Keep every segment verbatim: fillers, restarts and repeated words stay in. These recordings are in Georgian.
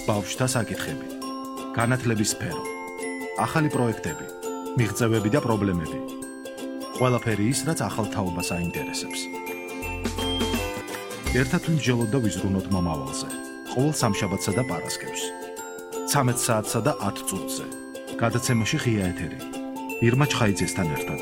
ბავშვთა საკითხები, განათლების სფერო, ახალი პროექტები, მიღწევები და პრობლემები. ყველაფერი ის, რაც ახალ თაობას აინტერესებს. ერთად ვიმსჯელოთ და ვიზრუნოთ მომავალზე. ყოველ სამშაბათსა და პარასკევს. ცამეტ საათსა და ათ წუთზე. გადაცემაში ღია ეთერი. ირმა ჩხაიძესთან ერთად.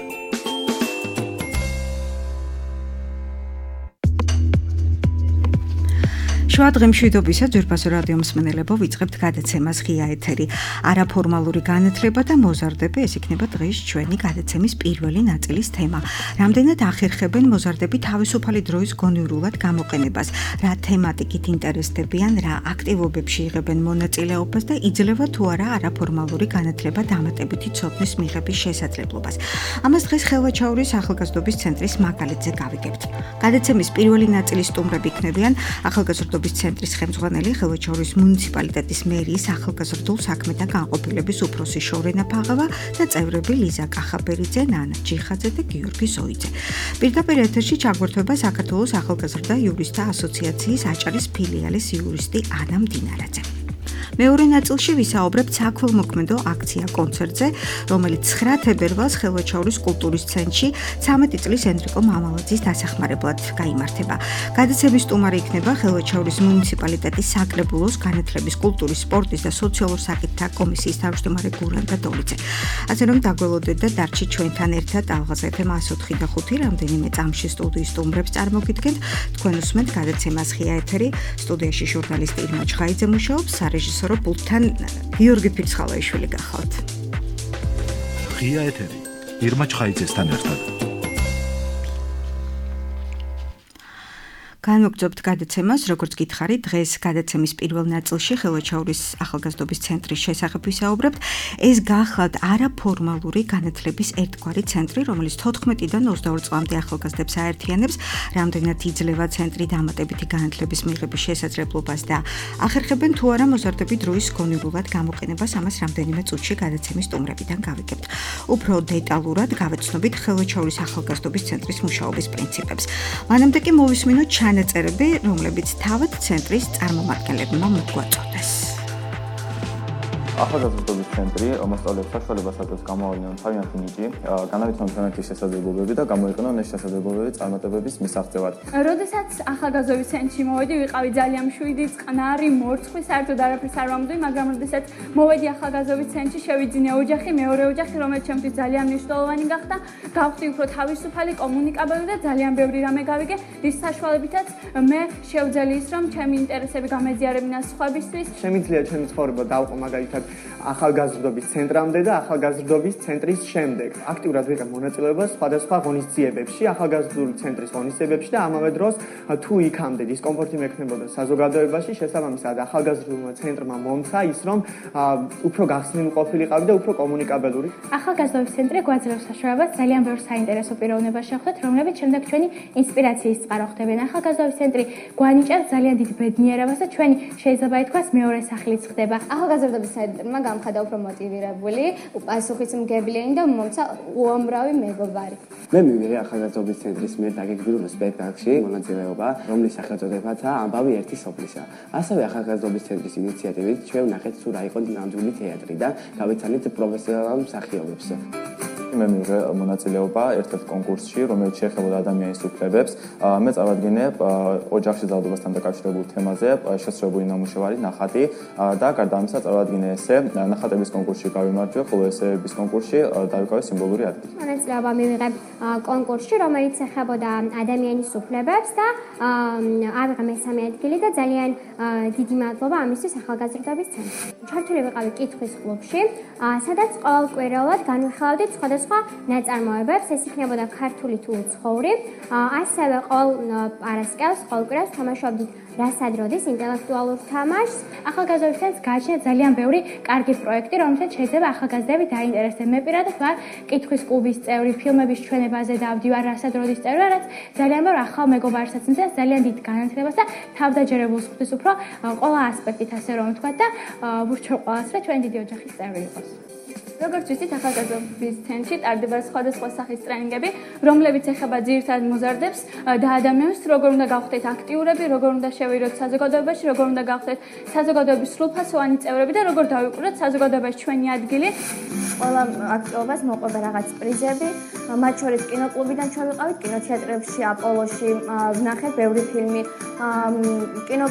შუადღე მშვიდობისა ძვირფასო რადიო მსმენელებო, ვიწყებთ გადაცემას ღია ეთერი. არაფორმალური განათლება და მოზარდები, ეს იქნება დღეს ჩვენი გადაცემის პირველი ნაწილის თემა. რამდენად ახერხებენ მოზარდები თავისუფალი დროის გონივრულად გამოყენებას, რა თემატიკით ინტერესდებიან, რა აქტივობებში იღებენ მონაწილეობას და იძლევა თუ არა არაფორმალური განათლება დამატებითი ცოდნის მიღების შესაძლებლობას. ამას დღეს ხელვაჩაურის ახალგაზრდობის ცენტრის მაგალითზე გავიგებთ. გადაცემის პირველი ნაწილის სტუმრები იქნებიან ახალგაზრდობის ცენტრის ხელმძღვანელი, ხელვაჩაურის მუნიციპალიტეტის მერიის ახალგაზრდულ საქმეთა განყოფილების უფროსი შორენა ფაღავა და წევრები ლიზა კახაბერიძე, ნანა ჯიხაძე და გიორგი ზოიძე. პირდაპირ ეთერში ჩაგვერთვება საქართველოს ახალგაზრდა იურისტთა ასოციაციის აჭარის ფილიალის იურისტი ანა მდინარაძე. მეორე ნაწილში ვისაუბრებთ საქველმოქმედო აქცია კონცერტზე, რომელიც ცხრა თებერვალს ხელვაჩაურის კულტურის ცენტრში ცამეტი წლის ენრიკო მამალაძის დასახმარებლად გაიმართება. გადაცემის სტუმარი იქნება ხელვაჩაურის მუნიციპალიტეტის საკრებულოს განათლების, კულტურის, სპორტის და სოციალურ საკითხთა კომისიის თავმჯდომარე გურანდა დოლიძე. ასე რომ დაგველოდეთ და დარჩით ჩვენთან ერთად ალღაზ ეფ ემ ათს ოთხი და ხუთი რამდენიმე წამში სტუდიის სტუმრებს წარმოგიდგენთ. თქვენ უსმენთ გადაცემას ღია ეთერი. სტუდიაში ჟურნალისტი ირმა ჩხაიძე მუშაობს, სარეჟისორო პულტთან გიორგი ფირცხალაიშვილი გახავთ. ღია ეთერი ირმა ჩხაიძესთან ერთად. განვაგრძობთ გადაცემას, როგორც გითხარით, დღეს გადაცემის პირველ ნაწილში ხელვაჩაურის ახალგაზრდობის ცენტრის შესახებ ვისაუბრებთ. ეს გახლავთ არაფორმალური განათლების ერთგვარი ცენტრი, რომელიც თოთხმეტიდან ოცდაორ წლამდე ახალგაზრდებს აერთიანებს, რამდენად იძლევა ცენტრი დამატებითი განათლების მიღების შესაძლებლობას და ახერხებენ თუ არა მოზარდები დროის გონივრულად გამოყენებას, ამას რამდენიმე წუთში გადაცემის სტუმრებიდან გავიგებთ. უფრო დეტალურად გავეცნობით ხელვაჩაურის ახალგაზრდობის ცენტრის მუშაობის პრინციპებს. მანამდე კი მოვისმინოთ ჩანაწერები, რომლებიც თავად ცენტრის წარმომადგენლებმა მოგვაწოდეს. ახალგაზრდობის ცენტრი მოსწავლეებს საშუალებას აძლევს გამოავლინონ თავიანთი ნიჭი, განავითარონ თემატიკის შესაძლებლობები და გამოიყენონ ეს შესაძლებლობები წარმატებების მისაღწევად. როდესაც ახალგაზრდობის ცენტრში მოვედი, ვიყავი ძალიან მშვიდი, წყნარი, მორცხვი, საერთოდ არაფერს არ ვამბობდი, მაგრამ როდესაც მოვედი ახალგაზრდობის ცენტრში, შევიძინე ოჯახი, მეორე ოჯახი, რომელიც ჩემთვის ძალიან მნიშვნელოვანი გახდა, გავხდი უფრო თავისუფალი, კომუნიკაბელი და ძალიან ბევრი რამე გავიგე, რის საშუალებითაც მე შევძელი ის, რომ ჩემი ინტერესები გამეზიარებინა სხვებისთვის. შემიძლია ჩემი ცხოვრება დავყო მაგალითად ახალგაზრდობის ცენტრამდე და ახალგაზრდობის ცენტრის შემდეგ. აქტიურად ვიღებ მონაწილეობას სხვადასხვა ღონისძიებებში, ახალგაზრდული ცენტრის ღონისძიებებში და ამავე დროს თუ იქამდე დისკომფორტი მექნებოდა საზოგადოებაში, შესაბამისად ახალგაზრდულმა ცენტრმა მომცა ის, რომ უფრო გახსნილი ყოფილიყავი და უფრო კომუნიკაბელური. ახალგაზრდობის ცენტრი გვაძლევს საშუალებას ძალიან ბევრ საინტერესო პიროვნებას შეხვდეთ, რომლებიც შემდეგ ჩვენი ინსპირაციის წყარო ხდებიან. ახალგაზრდობის ცენტრი გვანიჭებს ძალიან დიდ ბედნიერებას და ჩვენი შეიძლება ითქვას მეორე სახლიც ხდება. ახალგაზრდობის ცენტრმა გამხადა უფრო მოტივირებული, პასუხისმგებლიანი და მომცა უამრავი მეგობარი. მე მივიღე ახალგაზრდობის ცენტრის მიერ დაგეგმილ სპექტაკლში მონაწილეობა, რომლის სახელწოდებაა ამბავი ერთი სოფლისა. ასევე ახალგაზრდობის ცენტრის ინიციატივით ჩვენ ვნახეთ თუ რა იყო ნამდვილი თეატრი და გავეცანით პროფესიონალ მსახიობებს. მე მივიღე მონაწილეობა ერთ-ერთ კონკურსში, რომელიც შეეხებოდა ადამიანის უფლებებს. მე წავადგინებ ოჯახში ძალადობასთან დაკავშირებულ თემაზე შესრულებული ნამუშევარი ნახატი და გარდა ამისა წავადგინე ესე ნახატების კონკურსში გავიმარჯვე, ხოლო ესეების კონკურსში დავიკავე სიმბოლური ადგილი. მონაწილეობა მივიღე კონკურსში, რომელიც ეხებოდა ადამიანის უფლებებს და ავიღე მესამე ადგილი და ძალიან დიდი მადლობა ამისთვის ახალგაზრდობის ცენტრს. ჩართული ვიყავი კითხვის კლუბში, სადაც ყოველკვირეულად განვიხილავდით სხვადასხვა ნაწარმოებებს, ეს იქნებოდა ქართული თუ უცხოური. ასევე ყოველ პარასკევს, ყოველ კვირას თამაშობდით რასად როდის ინტელექტუალურ თამაშს. ახალგაზრდობის ცენტრს გააჩნია ძალიან ბევრი კარგი პროექტი, რომელსაც შეიძლება ახალგაზრდები დაინტერესდნენ. მე პირადად ვარ კითხვის კლუბის წევრი, ფილმების ჩვენებაზე დავდივარ, რასად როდის წევრი, რაც ძალიან ბევრ ახალ მეგობარს აცნობს, ძალიან დიდ განათლებას და თავდაჯერებულს ხვდის უფრო ყველა ასპექტით, ასე რომ ვთქვა და ვურჩევ ყველას, რომ ჩვენი დიდი ოჯახის წევრი იყოს. როგორც ვიცით, ახალგაზრდობის ცენტრში ტარდება სხვადასხვა სახის ტრენინგები, რომლებიც ეხება ძირითადად მოზარდებს და ადამიანებს, როგორ უნდა გავხდეთ აქტიურები, როგორ უნდა შევიდოთ საზოგადოებაში, როგორ უნდა გავხდეთ საზოგადოების სრულფასოვანი წევრები და როგორ დავიკვრათ საზოგადოებაში ჩვენი ადგილი. ყველა აქტივობას მოყვება რაღაც პრიზები, მათ შორის კინოკლუბიდან ჩვენ ვიყავით, კინოთეატრებში, აპოლოში, ვნახეთ ბევრი ფილმი, კინო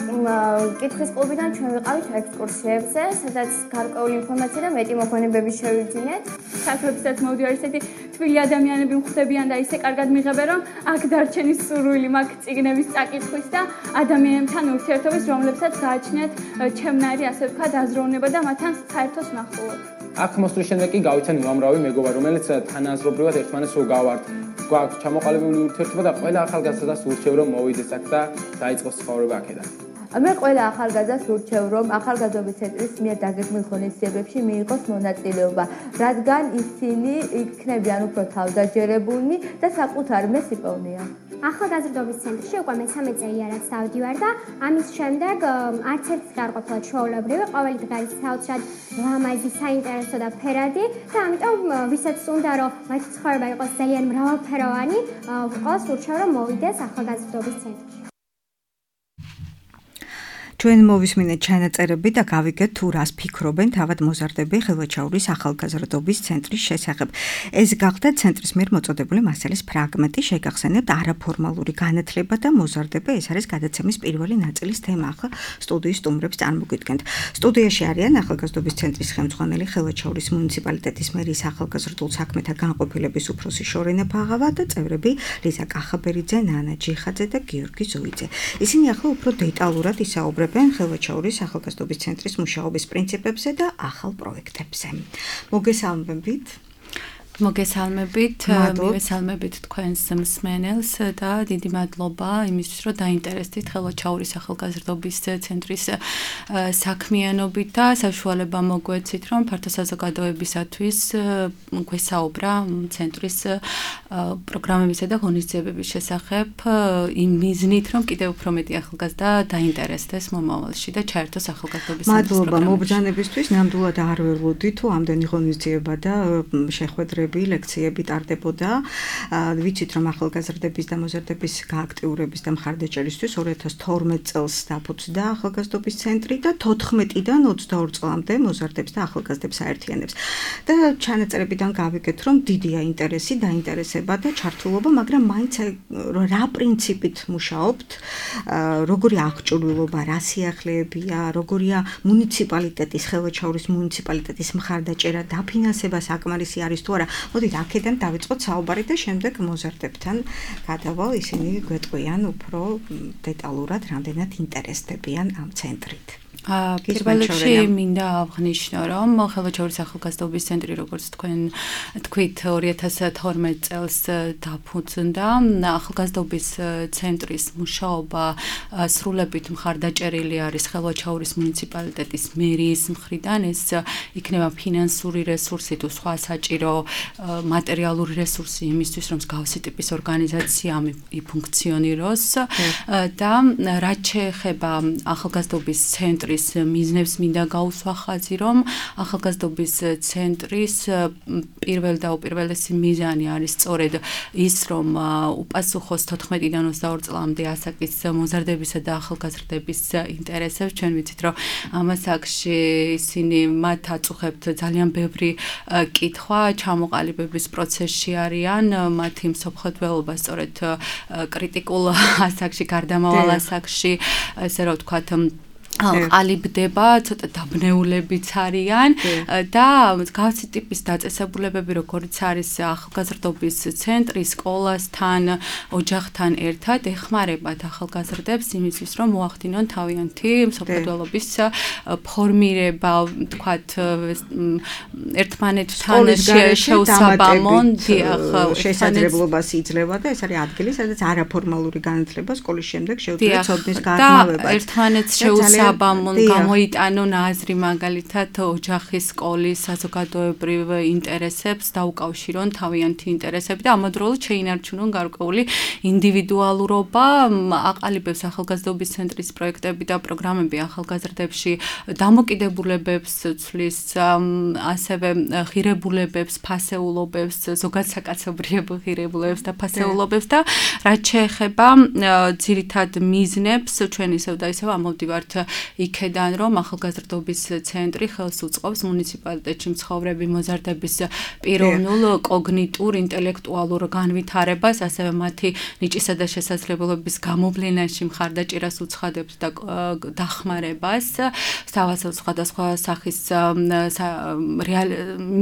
კითხვის კლუბიდან ჩვენ ვიყავით ექსკურსიებზე, სადაც გარკვეული ინფორმაცია და მეტი მოხონებები შევიძინეთ. საქართველოსაც მოვიდივარ ისეთი თბილი ადამიანები მხვდებიან და ისე კარგად მიღებენ, რომ აქ დარჩენის სურვილი მაქვს წიგნების წაკითხვის და ადამიანებთან ურთიერთობის, რომლებსაც გააჩნიათ ჩემნაირი, ასე ვთქვათ, აზროვნება და მათთან საერთოს ნახულობ. აქ მოსვლის შემდეგ კი გავიცან უამრავი მეგობრა, რომელიც თანაზრობრივად ერთმანეთს უგავართ. გვაქვს ჩამოყალიბებული ურთიერთობა და ყველა ახალგაზრდას ურჩევ რომ მოვიდეს აქ და დაიწყოს ცხოვრება აქედან. მე ყველა ახალგაზრდას ურჩევ რომ ახალგაზრდობის ცენტრის მიერ დაგეგმილ ღონისძიებებში მიიღოს მონაწილეობა, რადგან ისინი იქნებიან უფრო თავდაჯერებულნი და საკუთარ მეს იპოვნიან. ახალგაზრდობის ცენტრში უკვე მესამე წელია რაც დავდივარ და ამის შემდეგ არც ერთი არ ყოფილა ჩვეულებრივი, ყოველი დღე არის საოცრად ლამაზი, საინტერესო და ფერადი და ამიტომ ვისაც უნდა რომ მათი ცხოვრება იყოს ძალიან მრავალფეროვანი, ყველას ურჩევ რომ მოვიდეს ახალგაზრდობის ცენტრში. ჩვენ მოვისმინეთ ჩანაწერები და გავიგეთ თუ რას ფიქრობენ თავად მოზარდები ხელვაჩაურის ახალგაზრდობის ცენტრის შესახებ. ეს გახდა ცენტრის მიერ მოწოდებული მასალის ფრაგმენტი, შეგახსენებთ არაფორმალური განათლება და მოზარდები, ეს არის გადაცემის პირველი ნაწილის თემა. ახლა სტუდიის სტუმრებს წარმოგიდგენთ. სტუდიაში არიან ახალგაზრდობის ცენტრის ხელმძღვანელი ხელვაჩაურის მუნიციპალიტეტის მერის ახალგაზრდულ საქმეთა განყოფილების უფროსი შორენა ფაღავა და წევრები ლიზა კახაბერიძე, ნანა ჯიხაძე და გიორგი ზოიძე. ისინი ახლა უფრო დეტალურად ისაუბრებენ ხელვაჩაურის ახალგაზრდობის ცენტრის მუშაობის პრინციპებზე და ახალ პროექტებზე. მოგესალმებით. მოგესალმებით, მივესალმებით თქვენს მსმენელს და დიდი მადლობა იმისთვის, რომ დაინტერესდით ხელვაჩაურის ახალგაზრდობის ცენტრის საქმიანობით და საშუალება მოგვეცით, რომ ფართო საზოგადოებისათვის გვესაუბრა ცენტრის პროგრამებისა და ღონისძიებების შესახებ იმ მიზნით, რომ კიდევ უფრო მეტი ახალგაზრდა დაინტერესდეს მომავალში და ჩაერთოს ახალგაზრდობის ცენტრის პროგრამებში. მადლობა მობრძანებისთვის, ნამდვილად არ ველოდი თუ ამდენი ღონისძიება და შეხვედრები ლექციები ტარდებოდა. ვიცით რომ ახალგაზრდების და მოზარდების გააქტიურების და მხარდაჭერისთვის ორი ათას თორმეტ წელს დაფუძნდა ახალგაზრდობის ცენტრი და თოთხმეტიდან ოცდაორ წლამდე მოზარდებს და ახალგაზრდებს აერთიანებს. და ჩანაწერებიდან გავიგეთ რომ დიდია ინტერესი, დაინტერესება და ჩართულობა, მაგრამ მაინც რა პრინციპით მუშაობთ, როგორი აღჭურვილობა, რა სიახლეებია, როგორია მუნიციპალიტეტის, ხელვაჩაურის მუნიციპალიტეტის მხარდაჭერა, დაფინანსება საკმარისი არის თუ არა. მოდით აქედან დავიწყოთ საუბარი და შემდეგ მოზარდებთან გადავალ, ისინი გვეტყვიან უფრო დეტალურად რამდენად ინტერესდებიან ამ ცენტრით. პირველ რიგში მინდა აღნიშნო, რომ ხელვაჩაურის ახალგაზრდობის ცენტრი, როგორც თქვენ თქვით, ორი ათას თორმეტ წელს დაფუძნდა. ახალგაზრდობის ცენტრის მუშაობა სრულებით მხარდაჭერილი არის ხელვაჩაურის მუნიციპალიტეტის მერიის მხრიდან. ეს იქნება ფინანსური რესურსი თუ სხვა საჭირო მატერიალური რესურსი იმისთვის, რომ მსგავსი ტიპის ორგანიზაცია იფუნქციონიროს და რაც შეეხება ახალგაზრდობის ცენტრის მიზნებს მინდა გაუსვა ხაზი, რომ ახალგაზრდობის ცენტრის პირველ და უპირველესი მიზანი არის სწორედ ის, რომ უპასუხოს თოთხმეტიდან ოცდაორ წლამდე ასაკის მოზარდებისა და ახალგაზრდების ინტერესებს. ჩვენ ვიცით, რომ ამ ასაკში ისინი მათ აწუხებთ ძალიან ბევრი კითხვა, ჩამოყალიბების პროცესში არიან, მათი მსოფლმხედველობა სწორედ კრიტიკულ ასაკში, გარდამავალ ასაკში, ესე რომ ვთქვათ, ყალიბდება, ცოტა დაბნეულებიც არიან და გავცი ტიპის დაწესებულებები, როგორც არის ახალგაზრდობის ცენტრი, სკოლასთან, ოჯახთან ერთად ეხმარებათ ახალგაზრდებს იმისთვის, რომ მოახდინონ თავიანთი მსოფლმხედველობის ფორმირება, ვთქვათ, ერთმანეთთან შეუსაბამონ შესაძლებლობას იძლევა და ეს არის ადგილი, სადაც არაფორმალური განათლება სკოლის შემდეგ შეუძლია ცოდნის გაღრმავება. ერთმანეთს შეუსაბამონ საბამონ გამოიტანონ აზრი მაგალითად ოჯახის, სკოლის, საზოგადოებრივ ინტერესებს დაუკავშირონ თავიანთი ინტერესები და ამავდროულად შეინარჩუნონ გარკვეული ინდივიდუალურობა. აყალიბებს ახალგაზრდობის ცენტრის პროექტები და პროგრამები ახალგაზრდებში დამოკიდებულებებს ცვლის, ასევე ღირებულებებს, ფასეულობებს, ზოგად საკაცობრიობ ღირებულებებს და ფასეულობებს და რაც შეეხება ძირითად მიზნებს, ჩვენ ისევ და ისევ ამოვდივართ იქედან, რომ ახალგაზრდობის ცენტრი ხელს უწყობს მუნიციპალიტეტში მცხოვრები მოზარდების პიროვნულ, კოგნიტურ, ინტელექტუალურ განვითარებას, ასევე მათი ნიჭისა და შესაძლებლობების გამოვლენაში მხარდაჭერას უცხადებს და დახმარებას, სავასო სხვადასხვა სახის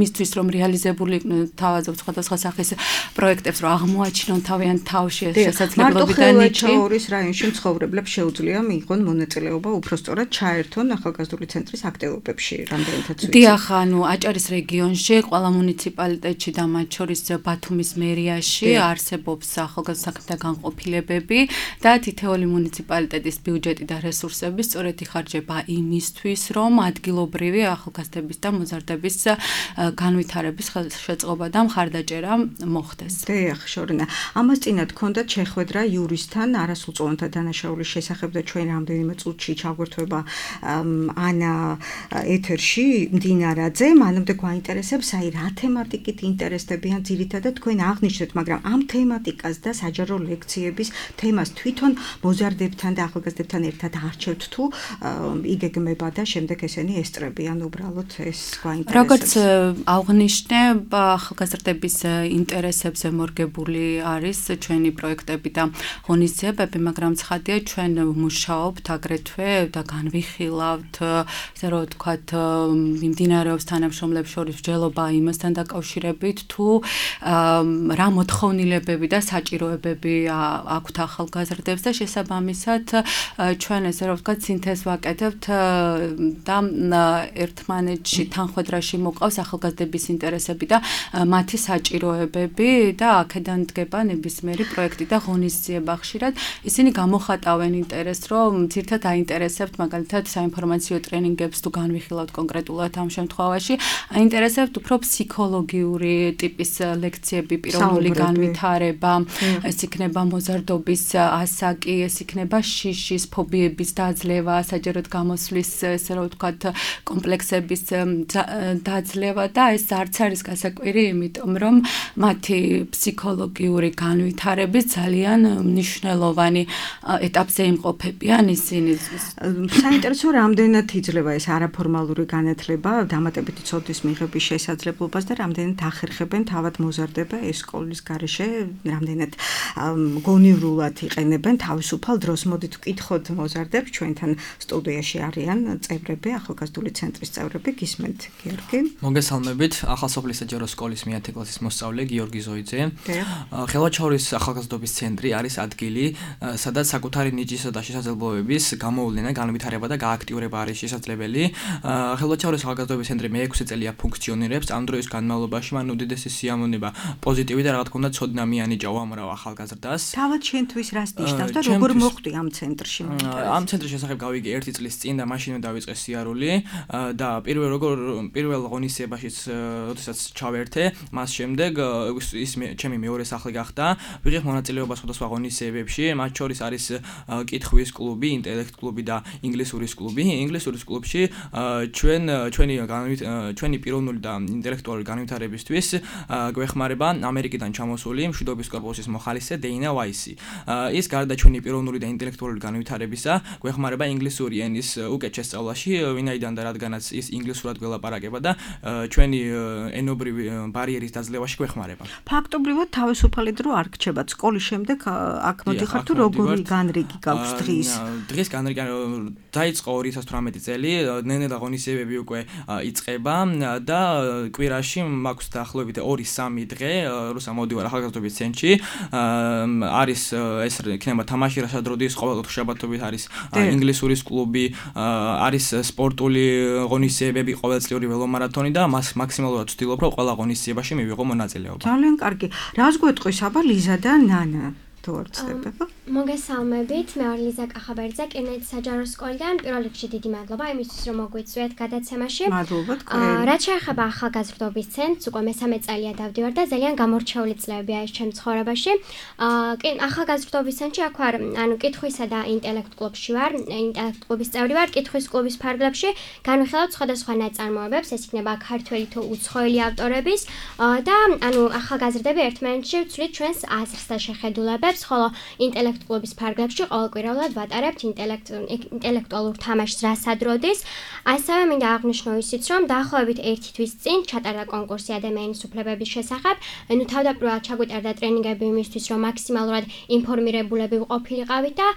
მისთვის რომ რეალიზებული თავაზობ სხვადასხვა სახის პროექტებს რომ აღმოაჩინონ თავიანთ თავში შესაძლებლობები და ნიჭი. ორის რაიონში მცხოვრებლებს შეუძლია მიიღონ მონაწილეობა უпростоრად ჩაერთონ ახალგაზრდული ცენტრის აქტივობებში, რამდენადაც ვიცი. დიახ, ანუ აჭარის რეგიონში, ყველა მუნიციპალიტეტში და მათ შორის ბათუმის მერიაში არსებობს ახალგაზრდა საქმეთა განყოფილებები და თითოეული მუნიციპალიტეტის ბიუჯეტი და რესურსები სწორედ იხარჯება იმისთვის, რომ ადგილობრივი ახალგაზრდების და მოზარდების განვითარების ხელშეწყობა და მხარდაჭერა მოხდეს. დიახ, შორინა. ამას წინათ ჰქონდათ შეხვედრა იურისთან არასრულწლოვანთა დანაშაულის შესახებ და ჩვენ რამდენიმე წუთში ჩაგვერთვება ანა ეთერში მდინარაძე, მანამდე გვაინტერესებს აი რა თემატიკით ინტერესდებიან ძირითადად თქვენ აღნიშნეთ, მაგრამ ამ თემატიკას და საჯარო ლექციების თემას თვითონ მოზარდებთან და ახალგაზრდებთან ერთად არჩევთ თუ იგეგმება და შემდეგ ესენი ესწრებიან უბრალოდ ეს გვაინტერესებს. როგორც აღნიშნე, ახალგაზრდების ინტერესებზე მორგებული არის ჩვენი პროექტები და ღონისძიებები, მაგრამ ცხადია ჩვენ მუშაობთ აგრეთვე და განვიხილავთ, ასე რომ ვთქვათ, მიმდინარეობს თანამშრომლებს შორის მსჯელობა იმასთან დაკავშირებით, თუ რა მოთხოვნილებები და საჭიროებები აქვთ ახალგაზრდებს და შესაბამისად ჩვენ ესე რომ ვთქვათ, სინთეზს ვაკეთებთ და ერთმანეთში თანხვედრაში მოყავს ახალგაზრდების ინტერესები და მათი საჭიროებები და აქედან დგება ნებისმიერი პროექტი და ღონისძიება. ხშირად ისინი გამოხატავენ ინტერესს, რომ ძირთად აინტერესებთ მაგალითად საინფორმაციო ტრენინგებს თუ განვიხილავთ კონკრეტულად ამ შემთხვევაში, აინტერესებთ უფრო ფსიქოლოგიური ტიპის ლექციები, პიროვნული განვითარება, ეს იქნება მოზარდობის ასაკი, ეს იქნება შიშის, ფობიების დაძლევა, საჯაროდ გამოსვლის, ესე რომ ვთქვათ, კომპლექსების დაძლევა და ეს არც არის გასაკვირი, იმიტომ რომ მათი ფსიქოლოგიური განვითარების ძალიან მნიშვნელოვანი ეტაპზე იმყოფებიან ისინი. საინტერესო რამდენად იძლევა ეს არაფორმალური განათლება დამატებითი ცოდნის მიღების შესაძლებლობას და რამდენად ახერხებენ თავად მოზარდება ეს სკოლის გარეშე, რამდენად გონივრულად იყენებენ თავისუფალ დროს. მოდით ვკითხოთ მოზარდებს, ჩვენთან სტუდიაში არიან წევრები, ახალგაზრდული ცენტრის წევრები, გისმენთ გიორგი. მოგესალმებით, ახალსოფლის საჯარო სკოლის მეათე კლასის მოსწავლე გიორგი ზოიძე. ხელვაჩაურის ახალგაზრდობის ცენტრი არის ადგილი, სადაც საკუთარი ნიჭისა და შესაძლებლობების გამოვლენა, განვითარება და გააქტიურება არის შესაძლებელი. ხელვაჩაურის ახალგაზრდობის ცენტრი მეექვსე წელია ფუნქციონირებს. ამ დროის განმავლობაში მან უდიდესი სიამოვნება, პოზიტივი და რა თქმა უნდა ცოდნა მიანიჭა უამრავ ახალგაზრდას. თავად შენთვის რას ნიშნავს და როგორ მოხვდი ამ ცენტრში? ამ ცენტრის შესახებ გავიგე ერთი წლის წინ და მაშინვე დავიწყე სიარული და პირველ როგორ პირველ ღონისძიებაშიც როდესაც ჩავერთე, მას შემდეგ ის ჩემი მეორე სახლი გახდა. ვიღებ მონაწილეობას სხვადასხვა ღონისძიებებში, მათ შორის არის კითხვის კლუბი, ინტელექტ კლუბი და ინგლისურის კლუბი. ინგლისურის კლუბში ჩვენ ჩვენი ჩვენი პიროვნული და ინტელექტუალური განვითარებისთვის გვეხმარება ამერიკიდან ჩამოსული მშვიდობის კორპუსის მოხალისე დეინა ვაისი. ის გარდა ჩვენი პიროვნული და ინტელექტუალური განვითარებისა გვეხმარება ინგლისური ენის უკეთ შესწავლაში, ვინაიდან და რადგანაც ის ინგლისურად გველაპარაკება და ჩვენი ენობრივი ბარიერის დაძლევაში გვეხმარება. ფაქტობრივად თავისუფალი დრო არ გრჩებათ სკოლის შემდეგ აქ მოდიხარ თუ როგორი განრიგი გაქვს დღის? დღის განრიგი დაიწყო ორი ათას თვრამეტი წელი, ნელ-ნელა ღონისძიებები უკვე იწყება და კვირაში მაქვს დაახლოებით ორი სამი დღე, როცა მოვდივარ ახალგაზრდობის ცენტრში. არის ეს იქნება თამაში რასადროდის ყოველ შაბათობით არის ინგლისურის კლუბი, არის სპორტული ღონისძიებები, ყოველწლიური ველომარათონი და მას მაქსიმალურად ვცდილობ, რომ ყველა ღონისძიებაში მივიღო მონაწილეობა. ძალიან კარგი. რას გვეტყვის აბა ლიზა და ნანა? თუ არ ვცდები. მოგესალმებით, მე ვარ ლიზა კახაბერძე, კინოეთის საჯარო სკოლიდან. პირველ რიგში დიდი მადლობა იმისთვის, რომ მოგვიწვიეთ გადაცემაში. მადლობა თქვენ. რაც შეეხება ახალგაზრდობის ცენტრს, უკვე მესამე წელია დავდივარ და ძალიან გამორჩეული წლებია ეს ჩემ ცხოვრებაში. ახალგაზრდობის ცენტრში აქ ვარ, ანუ კითხვისა და ინტელექტ კლუბში ვარ, ინტელექტ კლუბის წევრი ვარ, კითხვის კლუბის ფარგლებში განვიხილავთ სხვადასხვა ნაწარმოებებს, ეს იქნება ქართველი თუ უცხოელი ავტორების და ანუ ახალგაზრდები ერთმანეთში ვცვლით ჩვენს აზრს და შეხედულებებს, ხოლო ინტელექტ კლუბის ფარგლებში ყოველკვირეულად ვატარებთ ინტელექტუალურ თამაშს რასადროდის. ასევე მინდა აღვნიშნო ისიც, რომ დაახლოებით ერთი თვის წინ ჩატარდა კონკურსი ადამიანის უფლებების შესახებ. ნუ თავდაპირველად ჩაგვიტარდა ტრენინგები იმისთვის, რომ მაქსიმალურად ინფორმირებულები ვყოფილიყავით და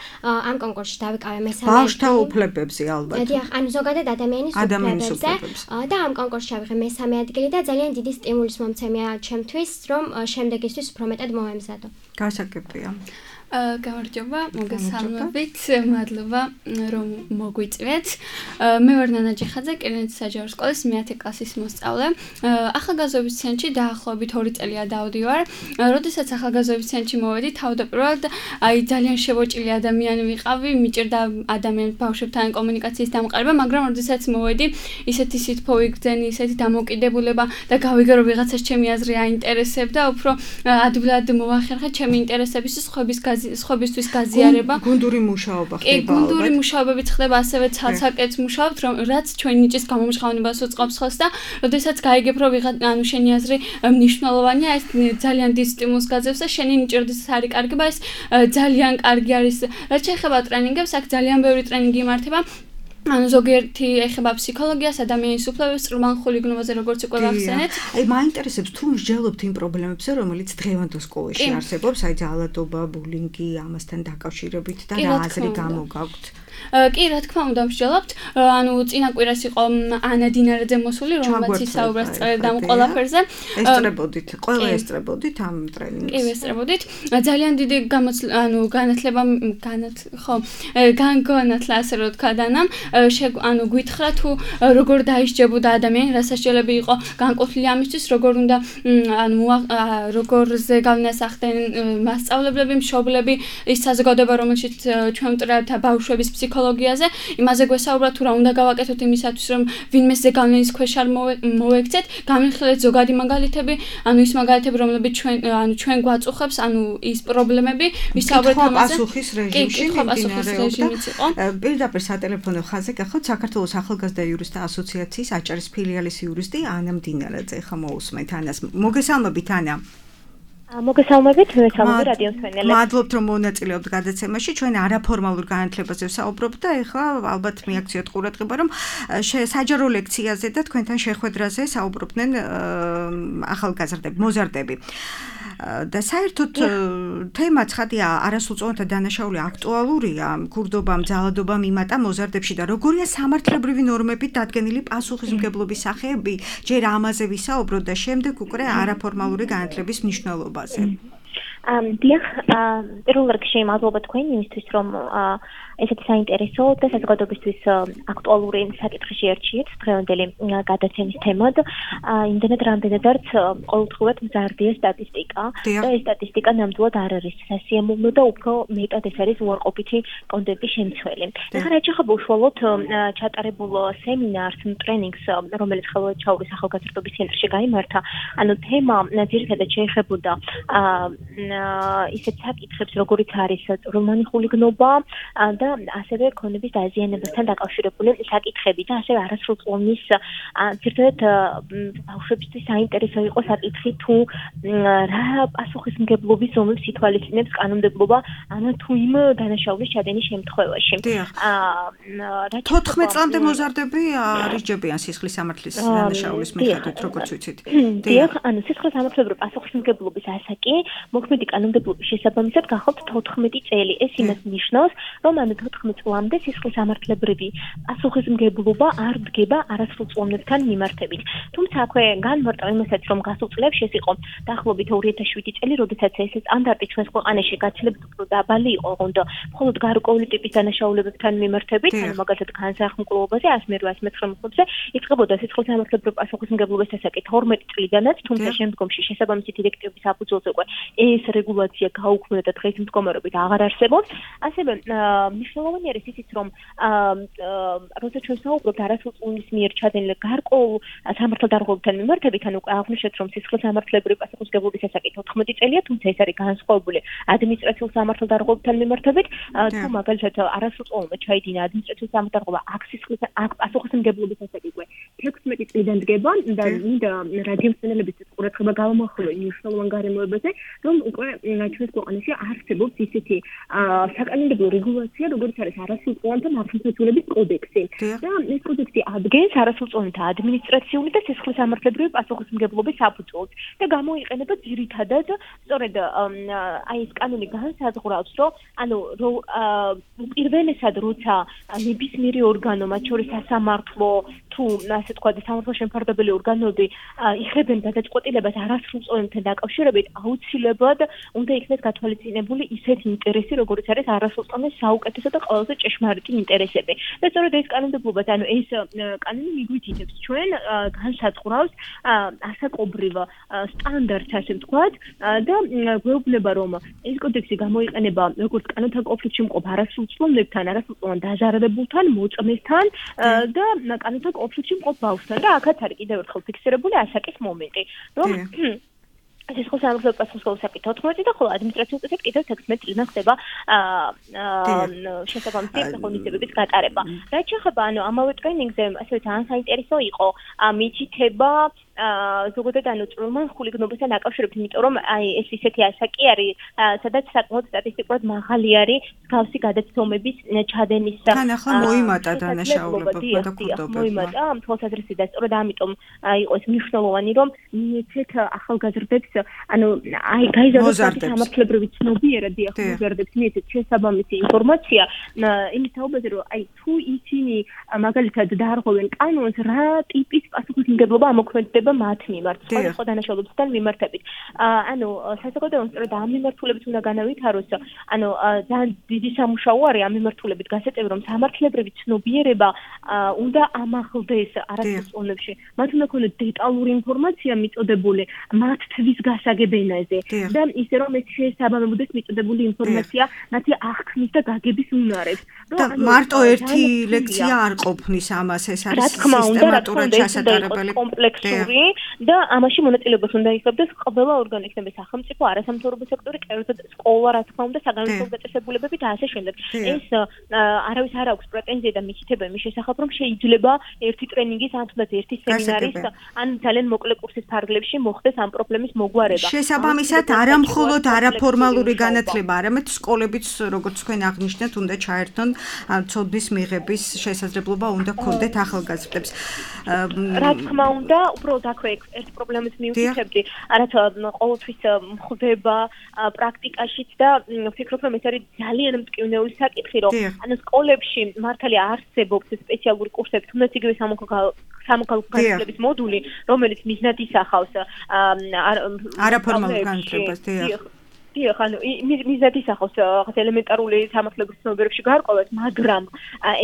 ამ კონკურსში დავიკავე მესამე. ბავშვთა უფლებებზე ალბათ. დიახ, ანუ ზოგადად ადამიანის უფლებებზე და ამ კონკურსში ავიღე მესამე ადგილი და ძალიან დიდი სტიმულის მომცემია ჩემთვის, რომ შემდეგისთვის უფრო მეტად მომემზადო. გასაგებია. გამარჯობა, მოგესალმებით, მადლობა რომ მოგვიწვიეთ. მე ვარ ნანა ჯიხაძე, კინოეთის საჯარო სკოლის მეათე კლასის მოსწავლე. ახალგაზრდობის ცენტრში დაახლოებით ორი წელია დავდივარ. როდესაც ახალგაზრდობის ცენტრში მოვედი, თავდაპირველად აი ძალიან შევოჭილი ადამიანი ვიყავი, მიჭირდა ადამიანს ბავშვებთან კომუნიკაციის დამყარება, მაგრამ როდესაც მოვედი, ისეთი სითბო ვიგრძენი, ისეთი დამოკიდებულება და გავიგე რომ ვიღაცას ჩემი აზრი აინტერესებდა, უფრო ადვილად მოვახერხე ჩემი ინტერესების სხვების სხვებისთვის გაზიარება. გუნდური მუშაობა ხდება. კი, გუნდური მუშაობებიც ხდება, ასევე ცალ-ცალკეც მუშაობთ, რომ რაც ჩვენი ნიჭის გამომჟღავნებას უწყობს ხელს და როდესაც გაიგებ, რომ ვიღაც ანუ შენი აზრი მნიშვნელოვანია, ეს ძალიან დიდ სტიმულს გაძლევს და შენი ნიჭი როდესაც არის კარგება, ეს ძალიან კარგი არის. რაც შეეხება ტრენინგებს, აქ ძალიან ბევრი ტრენინგი იმართება. ანუ ზოგიერთი ეხება ფსიქოლოგიას, ადამიანის უფლებებს, ყრმანხული გნობაზე როგორც უკვე ვახსენეთ. აი მაინტერესებს თუ მსჯელობთ იმ პრობლემებზე, რომელიც დღევანდელ სკოლაში არსებობს, აი ძალადობა, ბულინგი, ამასთან დაკავშირებით და რა აზრი გამოგაქვთ? კი, რა თქმა უნდა, მსჯელობთ. ანუ წინა კვირას იყო ანა დინარაძე მოსული, რომელმაც ისაუბრა წრედა ამ ყველაფერზე. ესწრებოდით, ყველა ესწრებოდით ამ ტრენინგს. კი, ესწრებოდით. ძალიან დიდი ანუ განათლება განათ ხო, განგონათლა ასე რომ თქვა დანამ, ანუ გვითხრა თუ როგორ დაისჯებოდა ადამიანი, რა სასჯელები იყო განყოფილი ამისთვის, როგორ უნდა ანუ როგორ ზეგავლენასახდნენ მასწავლებლები, მშობლები, ის საზოგადოება, რომელშიც ჩვენ ვტრევთ ბავშვების ფსიქოლოგიაზე, იმაზე გვესაუბრა თუ რა უნდა გავაკეთოთ იმისათვის, რომ ვინმე ზეგავლენის ქვეშ არ მოვექცეთ, გამიხილეთ ზოგადი მაგალითები, ანუ ის მაგალითები, რომლებიც ჩვენ ანუ ჩვენ გვაწუხებს, ანუ ის პრობლემები, ვისაუბრეთ ამაზე. პასუხის რეჟიმში პირდაპირ სატელეფონო ხაზზე გახოთ საქართველოს ახალგაზრდა იურისტთა ასოციაციის აჭარის ფილიალის იურისტი ანა დინარაძე. ხა მოусმენთ ანას. მოგესალმებით ანა. მოგესალმებით, მოგესალმებით რადიო მსმენელებს. მადლობთ რომ მონაწილეობთ გადაცემაში. ჩვენ არაფორმალურ განათლებაზე ვსაუბრობთ და ეხლა ალბათ მიაქციოთ ყურადღება, რომ საჯარო ლექციაზე და თქვენთან შეხვედრაზე საუბრობდნენ ახალგაზრდები, მოზარდები. და საერთოდ თემა ცხადია, არასრულწლოვანთა დანაშაული აქტუალურია, მკურდობამ, ძალადობამ იმატა მოზარდებში და როგორია სამართლებრივი ნორმებით დადგენილი პასუხისმგებლობის სახეები, ჯერ ამაზე ვისაუბროთ და შემდეგ უკვე არაფორმალური განათლების მნიშვნელობაზე. დიახ, პირველ რიგში მადლობა თქვენ იმისთვის, რომ ესეთი საინტერესო და საზოგადოებისთვის აქტუალური საკითხი შეერჩიეთ დღევანდელი გადაცემის თემად. იმდენად რამდენადაც ყოველდღიურად მზარდია სტატისტიკა და ეს სტატისტიკა ნამდვილად არ არის სასიამოვნო და უფრო მეტად ეს არის უარყოფითი კონტენტის შემცველი. ეხლა რაც შეეხება უშუალოდ ჩატარებულ სემინარს, ტრენინგს, რომელიც ხელშეუხლების ახალგაზრდობის ცენტრში გაიმართა, ანუ თემა ძირითადად შეეხებოდა ისეთ საკითხებს, როგორიც არის წვრილმანი ხულიგნობა და ასევე ქონების დაზიანებასთან დაკავშირებული საკითხები და ასევე არასრულწლოვნის ძირითადად ბავშვებისთვის საინტერესო იყო საკითხი თუ რა პასუხისმგებლობის ზომებს ითვალისწინებს კანონმდებლობა ამა თუ იმ დანაშაულის ჩადენის შემთხვევაში. თოთხმეტ წლამდე მოზარდები არიჯებიან სისხლის სამართლის დანაშაულის მიხედვით, როგორც ვიცით. დიახ, ანუ სისხლის სამართლებრივი პასუხისმგებლობის ასაკი მოქმედი კანონმდებლობის შესაბამისად გახავთ თოთხმეტი წელი. ეს იმას ნიშნავს, რომ ანუ თოთხმეტ წლამდე სისხლისამართლებრივი პასუხისმგებლობა არ დგება არასრულწლოვანებთან მიმართებით. თუმცა აქვე განმარტავ იმასაც, რომ გასულ წლებში ეს იყო დაახლოებით ორი ათას შვიდი წელი, როდესაც ეს სტანდარტი ჩვენს ქვეყანაში გაცილებით უფრო დაბალი იყო, ოღონდ მხოლოდ გარკვეული ტიპის დანაშაულებებთან მიმართებით, ანუ მაგალითად განსახმკლობაზე, ას მერვე ას მეცხრე მოხდებზე იწყებოდა სისხლისამართლებრივი პასუხისმგებლობის დასაკი თორმეტ წლიდანაც, თუმცა შემდგომში შესაბამისი დირექტივების საფუძველზე უკვე ეს რეგულაცია გაუქმდა და დღეს მდგომარეობით აღარ არსებობს. ასევე მნიშვნელოვანი არის ისიც, რომ როცა ჩვენ საუბრობთ არასრულწლოვანის მიერ ჩადენილ გარკვეულ სამართალდარღვევებთან მიმართებით, ანუ აღვნიშნეთ, რომ სისხლისამართლებრივი პასუხისმგებლობის დასაკი თოთხმეტი წელია, თუმცა ეს არის განსხვავებული ადმინისტრაციულ სამართალდარღვევებთან მიმართებით, თუ მაგალითად არასრულწლოვანად ჩაიდინა ადმინისტრაციულ სამართალდარღვევა, აქ სისხლის აქ პასუხისმგებლობის დასაკი უკვე თექვსმეტი წლიდან დგება და მინდა რადიომსმენელების ყურადღება გავამახვილო იმ მნიშვნელოვან გარემოებაზე, რომ უკვე ჩვენს ქვეყანაში არსებობს ისეთი საკანონმდებლო რეგულაცია, როგორც არის არასრულწლოვანთა მართლმსაჯულების კოდექსი. და ეს კოდექსი ადგენს არასრულწლოვანთა ადმინისტრაციული და სისხლისამართლებრივი პასუხისმგებლობის საფუძველს და გამოიყენება ძირითადად სწორედ აი ეს კანონი განსაზღვრავს, რომ ანუ პირველესად როცა ნებისმიერი ორგანო, მათ შორის სასამართლო თუ ასე თქვა და სამართალ შემფარდებელი ორგანოები იღებენ გადაწყვეტილებას არასრულწლოვანებთან დაკავშირებით, აუცილებლად უნდა იქნეს გათვალისწინებული ისეთი ინტერესი, როგორც არის არასრულწლოვანის საუკეთესო და ყველაზე ჭეშმარიტი ინტერესები. და სწორედ ეს კანონმდებლობაც, ანუ ეს კანონი მიგვითითებს ჩვენ განსაზღვრავს ასაკობრივ სტანდარტს, ასე ვთქვათ, და გვეუბნება, რომ ეს კოდექსი გამოიყენება როგორც კანონთან კონფლიქტში მყოფ არასრულწლოვანებთან, არასრულწლოვან დაზარალებულთან, მოწმესთან და კანონთან კონფლიქტში მყოფ ბავშვთან და აქაც არის კიდევ ერთხელ ფიქსირებული ასაკის მომენტი, რომ სისხლისამართლებრივი პასუხისმგებლობის დასაკი თოთხმეტი და ხოლო ადმინისტრაციულ წესით კიდევ თექვსმეტი წლიდან ხდება შესაბამისი ღონისძიებების გატარება. რაც შეეხება ანუ ამავე ტრენინგზე, ასე ძალიან საინტერესო იყო მითითება ზოგადად ანუ წვრილმანხული გნობასთან დაკავშირებით, იმიტომ რომ აი ეს ისეთი ასაკი არის, სადაც საკმაოდ სტატისტიკურად მაღალი არის მსგავსი გადაცდომების ჩადენის თან ახლა მოიმატა დანაშაულებობა და ქურდობა. მოიმატა ამ თვალსაზრისით და სწორედ ამიტომ იყო ეს მნიშვნელოვანი, რომ მიეცეთ ახალგაზრდებს ანუ აი გაიზარდოს სამართლებრივი ცნობიერება, დიახ, მოზარდებს მიეცეთ შესაბამისი ინფორმაცია იმის თაობაზე, რომ აი თუ ისინი მაგალითად დაარღვევენ კანონს, რა ტიპის პასუხისმგებლობა ამოქმედდება მათ მიმართ, სხვადასხვა დანაშაულებებთან მიმართებით. ანუ საზოგადოებამ სწორედ ამ მიმართულებით უნდა განავითაროს, ანუ ძალიან დიდი სამუშაო არის ამ მიმართულებით გასაწევი, რომ სამართლებრივი ცნობიერება უნდა ამაღლდეს არასრულწლოვანებში. მათ უნდა ქონდეს დეტალური ინფორმაცია მიწოდებული მათთვის გასაგებ ენაზე და ისე რომ ეს შეესაბამებოდეს მიწოდებული ინფორმაცია მათი აღქმის და გაგების უნარებს. და მარტო ერთი ლექცია არ ყოფნის ამას, ეს არის სისტემატურად ჩასატარებელი კომპლექსური და ამაში მონაწილეობას უნდა იღებდეს ყველა ორგანო, იქნება სახელმწიფო, არასამთავრობო სექტორი, კერძოდ სკოლა, რა თქმა უნდა, საგანმანათლებლო დაწესებულებები და ასე შემდეგ. ეს არავის არ აქვს პრეტენზია და მითითება იმის შესახებ, რომ შეიძლება ერთი ტრენინგის, ან თუნდაც ერთი სემინარის, ან ძალიან მოკლე კურსის ფარგლებში მოხდეს ამ პრობლემის მოგვარება. შესაბამისად, არა მხოლოდ არაფორმალური განათლება, არამედ სკოლებიც, როგორც თქვენ აღნიშნეთ, უნდა ჩაერთონ ცოდნის მიღების შესაძლებლობა უნდა ქონდეთ ახალგაზრდებს. რა თქმა უნდა, უბრალოდ აქვე ერთ პრობლემას მივთითებდი, რაც ყოველთვის ხდება პრაქტიკაშიც და ვფიქრობ, რომ ეს არის ძალიან მტკივნეული საკითხი, რომ ანუ სკოლებში მართალია არსებობს სპეციალური კურსები, თუნდაც იგივე სამოქალაქო განათლების მოდული, რომელიც მიზნად ისახავს არაფორმალურ განათლებას, დიახ. დიახ, ანუ მიზნად ისახავს რაღაც ელემენტარული სამართლებრივი ცნობიერებებში გარკვევას, მაგრამ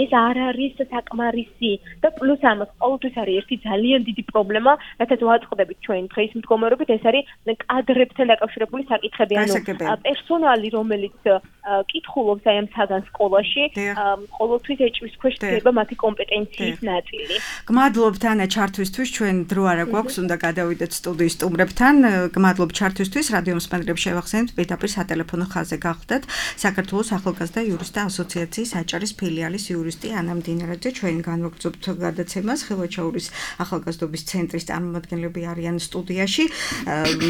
ეს არ არის საკმარისი და პლუს ამას ყოველთვის არის ერთი ძალიან დიდი პრობლემა, რასაც ვაწყდებით ჩვენ დღეს მდგომარეობით, ეს არის კადრებთან დაკავშირებული საკითხები, ანუ პერსონალი, რომელიც კითხულობს აი ამ საგან სკოლაში, ყოველთვის ეჭვის ქვეშ დგება მათი კომპეტენციის ნაწილი. გმადლობთ ანა ჩართვისთვის, ჩვენ დრო არა გვაქვს, უნდა გადავიდეთ სტუდიის სტუმრებთან. გმადლობ ჩართვისთვის, რადიო მსმენელებს შევახსენებთ პირდაპირ სატელეფონო ხაზზე გახდათ საქართველოს ახალგაზრდა იურისტთა ასოციაციის აჭარის ფილიალის იურისტი ანა მდინარაძე. ჩვენ განვაგრძობთ გადაცემას, ხელვაჩაურის ახალგაზრდობის ცენტრის წარმომადგენლები არიან სტუდიაში.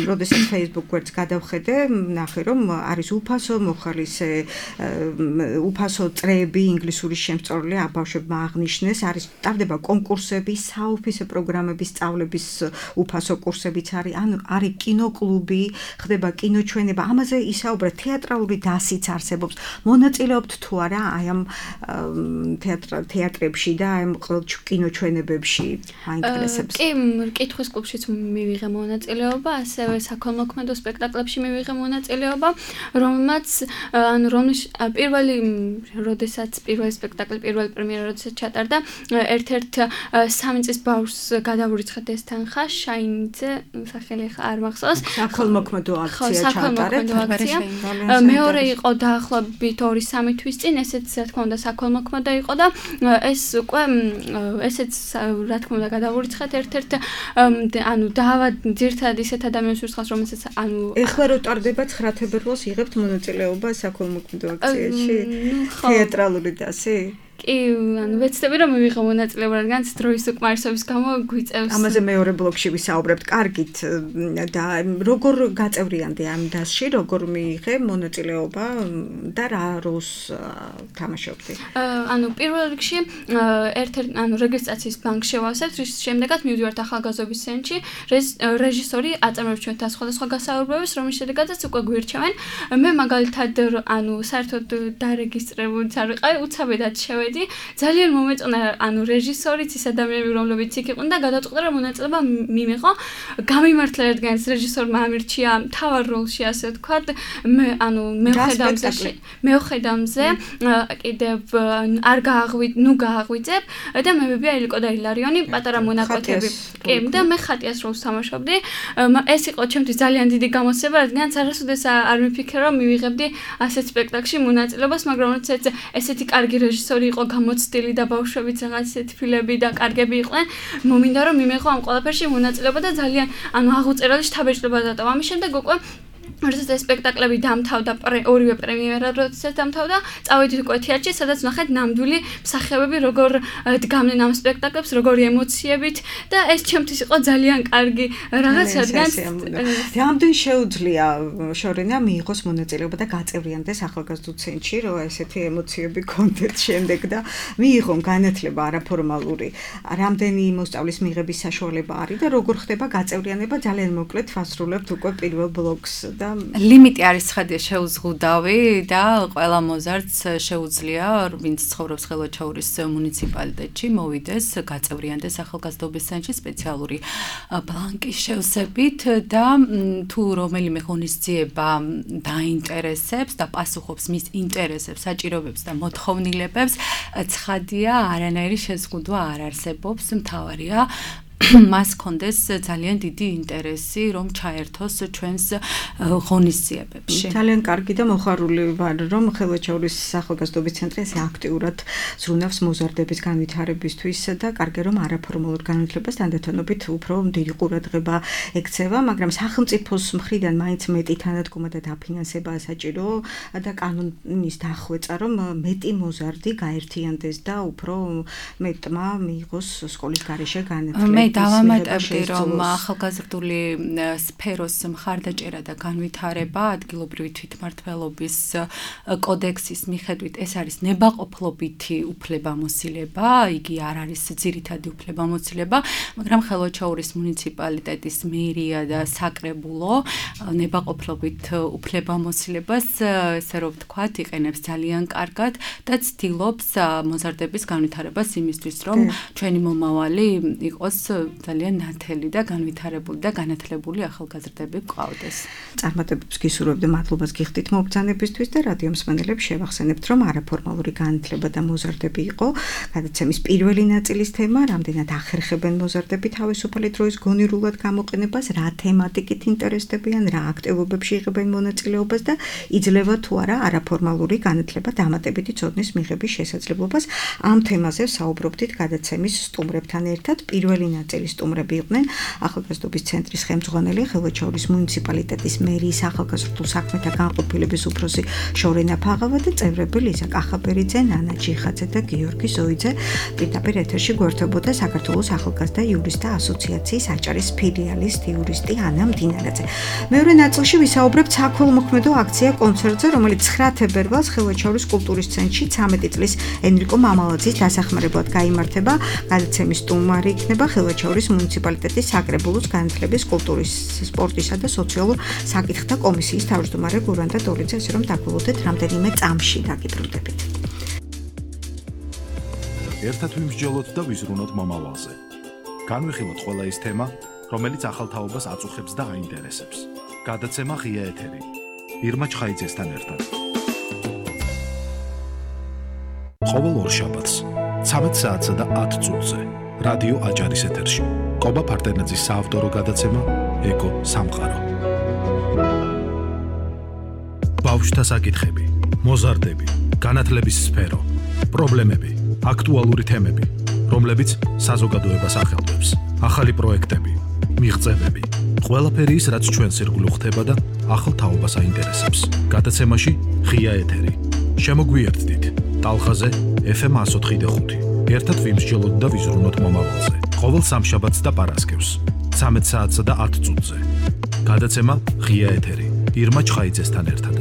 როდესაც Facebook გვერდს გადავხედე, ნახე რომ არის უფასო მოხალისე უფასო წრეები ინგლისურის შემსწავლელი აბავშვებმა აღნიშნეს, არის ტარდება კონკურსები, საოფისე პროგრამების სწავლების უფასო კურსებიც არის, ანუ არის კინოკლუბი, ხდება კინოჩვენება. ამაზე ისაუბრეთ, თეატრალური დასიც არსებობს. მონაწილეობთ თუ არა აი ამ თეატრებში და აი ამ კინოჩვენებებში აინტერესებს? კი, კითხვის კლუბშიც მივიღე მონაწილეობა, ასევე საქველმოქმედო სპექტაკლებში მივიღე მონაწილეობა, რომელმაც ანუ რომლის პირველი როდესაც პირველი სპექტაკლი, პირველი პრემიერა როდესაც ჩატარდა, ერთ-ერთ სამი წლის ბავშვს გადავურიცხეთ ეს თანხა, შაინიძე, სახელი არ მახსოვს. საქველმოქმედო აქცია ჩატარეთ. მეორე იყო დაახლოებით ორი სამი თვის წინ, ესეც რა თქმა უნდა საქველმოქმედო იყო და ეს უკვე ესეც რა თქმა უნდა გადავურიცხეთ ერთ-ერთ ანუ დავა ძირთად ისეთ ადამიანს ვირცხავს, რომელსაც ანუ ეხლა რო ტარდება ცხრა თებერვალს იღებთ მონაწილეობა საქველმოქმედო აქციაში? თეატრალური დასი? კი, ანუ ვეცდები რომ მივიღო მონაწილეობა, რადგან დროის უკმარისობის გამო გვიწევს. ამაზე მეორე ბლოკში ვისაუბრებთ. კარგით და როგორ გაწევრიანდი ამ დასში, როგორ მიიღე მონაწილეობა და რა როლს თამაშობდი? ანუ პირველ რიგში ერთ-ერთ ანუ რეგისტრაციის ბანკს შევავსებთ, რის შემდეგაც მივდივართ ახალგაზრდობის ცენტრში, რეჟისორი აწარმოებს ჩვენთან სხვადასხვა გასაუბრებებს, რომლის შედეგადაც უკვე გვირჩევენ. მე მაგალითად ანუ საერთოდ დარეგისტრირებული არ ვიყავი, უცაბედად შევედი. ძალიან მომეწონა ანუ რეჟისორიც ის ადამიანები რომლებიც იქ იყვნენ და გადაწყვიტა რომ მონაწილეობა მიმიღო. გამიმართლა რადგან ეს რეჟისორმა ამირჩია მთავარ როლში ასე ვთქვათ. მე ანუ მეუხედავზე მეუხედავზე კიდევ არ გააღვი ნუ გააღვიძებ და მებებია ილიკო და ილარიონი პატარა მონაკვეთები. კი და მე ხატიას როლს თამაშობდი. ეს იყო ჩემთვის ძალიან დიდი გამოცდილება, რადგან არასოდეს არ მიფიქრე რომ მივიღებდი ასეთ სპექტაკლში მონაწილეობას, მაგრამ როდესაც ესეთი კარგი რეჟისორი იყო გამოცდილი და ბავშვებიც რაღაც ისეთი ფილები და კარგები იყვნენ, მომინდა რომ მიმეღო ამ ყველაფერში მონაწილეობა და ძალიან ანუ აღუწერელი შთაბეჭდილება დატოვა. ამის შემდეგ უკვე როდესაც ეს სპექტაკლები დამთავრდა, ორივე პრემიერა როდესაც დამთავრდა, წავედით უკვე თეატრში, სადაც ვნახეთ ნამდვილი მსახიობები როგორ დგამდნენ ამ სპექტაკლებს, როგორი ემოციებით და ეს ჩემთვის იყო ძალიან კარგი რაღაც, რადგან რამდენი შეუძლია შორენა მიიღოს მონაწილეობა და გაწევრიანდეს ახალგაზრდულ ცენტრში, რომ ესეთი ემოციები კონდეთ შემდეგ და მიიღონ განათლება არაფორმალური, რამდენი მოსწავლის მიღების საშუალება არის და როგორ ხდება გაწევრიანება, ძალიან მოკლედ ვასრულებთ უკვე პირველ ბლოკს და ლიმიტი არის ცხადია შეუზღუდავი და ყველა მოზარდს შეუძლია ვინც ცხოვრობს ხელვაჩაურის მუნიციპალიტეტში მოვიდეს გაწევრიანდეს ახალგაზრდობის ცენტრში სპეციალური ბლანკის შევსებით და თუ რომელიმე ღონისძიება დაინტერესებს და პასუხობს მის ინტერესებს, საჭიროებებს და მოთხოვნილებებს, ცხადია არანაირი შეზღუდვა არ არსებობს, მთავარია მას კონდეს ძალიან დიდი ინტერესი რომ ჩაერთოს ჩვენს ღონისძიებებში. ძალიან კარგი და მოხარული ვარ რომ ხელვაჩაურის ახალგაზრდობის ცენტრი ესე აქტიურად ზრუნავს მოზარდების განვითარებისთვის და კარგი რომ არაფორმალურ განათლებას თანდათანობით უფრო დიდი ყურადღება ექცევა, მაგრამ სახელმწიფოს მხრიდან მაინც მეტი თანადგომა და დაფინანსება საჭირო და კანონის დახვეწა რომ მეტი მოზარდი გაერთიანდეს და უფრო მეტმა მიიღოს სკოლის გარეშე განათლება. დავამატებდი რომ ახალგაზრდული სფეროს მხარდაჭერა და განვითარება ადგილობრივი თვითმმართველობის კოდექსის მიხედვით ეს არის ნებაყოფლობითი უფლებამოსილება, იგი არ არის ძირითადი უფლებამოსილება, მაგრამ ხელვაჩაურის მუნიციპალიტეტის მერია და საკრებულო ნებაყოფლობით უფლებამოსილებას ესე რომ ვთქვათ იყენებს ძალიან კარგად და ცდილობს მოზარდების განვითარებას იმისთვის რომ ჩვენი მომავალი იყოს ძალიან ნათელი და განვითარებული და განათლებული ახალგაზრდები გყავდეს. წარმატებებს გისურვებთ და მადლობას გიხდით მობრძანებისთვის და რადიო მსმენელებს შევახსენებთ რომ არაფორმალური განათლება და მოზარდები იყო გადაცემის პირველი ნაწილის თემა, რამდენად ახერხებენ მოზარდები თავისუფალი დროის გონივრულად გამოყენებას, რა თემატიკით ინტერესდებიან, რა აქტივობებში იღებენ მონაწილეობას და იძლევა თუ არა არაფორმალური განათლება დამატებითი ცოდნის მიღების შესაძლებლობას. ამ თემაზე საუბრობდით გადაცემის სტუმრებთან ერთად. პირველი ნაწილის სტუმრები იყვნენ ახალგაზრდობის ცენტრის ხელმძღვანელი, ხელვაჩაურის მუნიციპალიტეტის მერიის ახალგაზრდულ საქმეთა განყოფილების უფროსი შორენა ფაღავა და წევრები ლიზა კახაბერიძე, ნანა ჯიხაძე და გიორგი ზოიძე. პირდაპირ ეთერში გვერდებოდა საქართველოს ახალგაზრდა იურისტთა ასოციაციის აჭარის ფილიალის იურისტი ანა მდინარაძე. მეორე ნაწილში ვისაუბრებთ საქველმოქმედო აქცია კონცერტზე, რომელიც ცხრა თებერვალს ხელვაჩაურის კულტურის ცენტრში ცამეტი წლის ენრიკო მამალაძის დასახმარებლად გაიმართება. გადაცემის სტუმარი იქნება ხელვაჩაურის მუნიციპალიტეტის საკრებულოს განათლების, კულტურის, სპორტისა და სოციალურ საკითხთა კომისიის თავმჯდომარე გურანდა დოლიძე, ასე რომ დაგულოდეთ რამდენიმე წამში დაგიბრუნდებით. ერთად ვიმსჯელოთ და ვიზრუნოთ მომავალზე. განვიხილოთ ყველა ის თემა, რომელიც ახალ თაობას აწუხებს და აინტერესებს. გადაცემა ღია ეთერი. ირმა ჩხაიძესთან ერთად. ყოველ ორშაბათს ცამეტ საათსა და ათ წუთზე რადიო აჭარის ეთერში. კობა ფარდენაძის საავტორო გადაცემა ეკო სამყარო. ბავშვთა საკითხები, მოზარდები, განათლების სფერო, პრობლემები, აქტუალური თემები, რომლებიც საზოგადოებას ახელვებს, ახალი პროექტები, მიღწევები, ყველაფერი ის, რაც ჩვენს ირგვლივ ხდება და ახალ თაობას აინტერესებს. გადაცემაში ღია ეთერი. შემოგვიერთდით ტალხაზე ეფ ემ εκατო ოთხი და ხუთი. ერთად ვიმსჯელოთ და ვიზრუნოთ მომავალზე. ყოველ სამშაბათს და პარასკევს ცამეტ საათსა და ათ წუთზე. გადაცემა ღია ეთერი. ირმა ჩხაიძესთან ერთად.